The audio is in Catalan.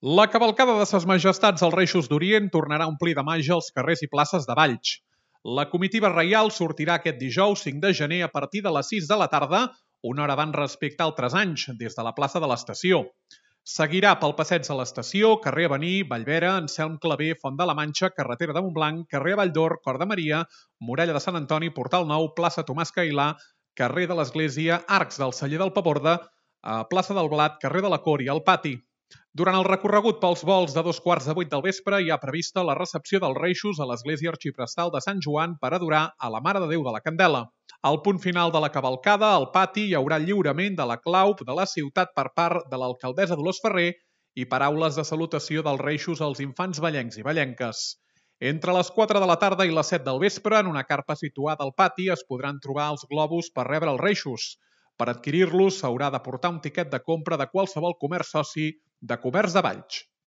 La cavalcada de Ses Majestats als Reixos d'Orient tornarà a omplir de màgia els carrers i places de Valls. La comitiva reial sortirà aquest dijous 5 de gener a partir de les 6 de la tarda, una hora abans respecte a altres anys, des de la plaça de l'Estació. Seguirà pel passeig de l'Estació, carrer Avenir, Vallvera, Anselm Clavé, Font de la Manxa, carretera de Montblanc, carrer Valldor, Cor de Maria, Muralla de Sant Antoni, Portal Nou, plaça Tomàs Cailà, carrer de l'Església, Arcs del Celler del Paborda, plaça del Blat, carrer de la Cor i el Pati. Durant el recorregut pels volts de 7:15 del vespre hi ha prevista la recepció dels Reixos a l'Església Arxiprestal de Sant Joan per adorar a la Mare de Déu de la Candela. Al punt final de la cavalcada, al pati, hi haurà lliurament de la clau de la ciutat per part de l'alcaldessa Dolors Ferrer i paraules de salutació dels Reixos als infants vallencs i vallenques. Entre les 4 de la tarda i les 7 del vespre, en una carpa situada al pati, es podran trobar els globus per rebre els Reixos. Per adquirir-los s'haurà de portar un tiquet de compra de qualsevol comerç soci de Comerç de Valls.